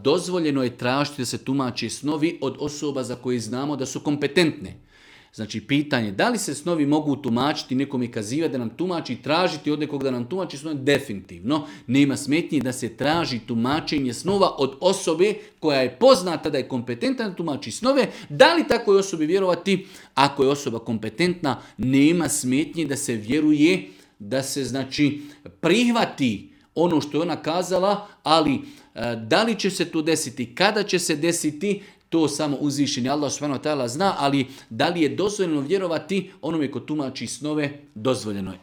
dozvoljeno je tražiti da se tumači snovi od osoba za koje znamo da su kompetentne. Znači, pitanje da li se snovi mogu tumačiti, nekom je kazivati da nam tumači, tražiti od nekog da nam tumači snovi, definitivno. Nema smetnji da se traži tumačenje snova od osobe koja je poznata da je kompetentna da tumači snove. Da li takvoj osobi vjerovati? Ako je osoba kompetentna, nema smetnji da se vjeruje, da se znači prihvati ono što je ona kazala, ali da li će se to desiti, kada će se desiti, to samo uzvišeni Allah subhanahu wa ta'ala zna, ali da li je dozvoljeno vjerovati onome ko tumači snove, dozvoljeno je.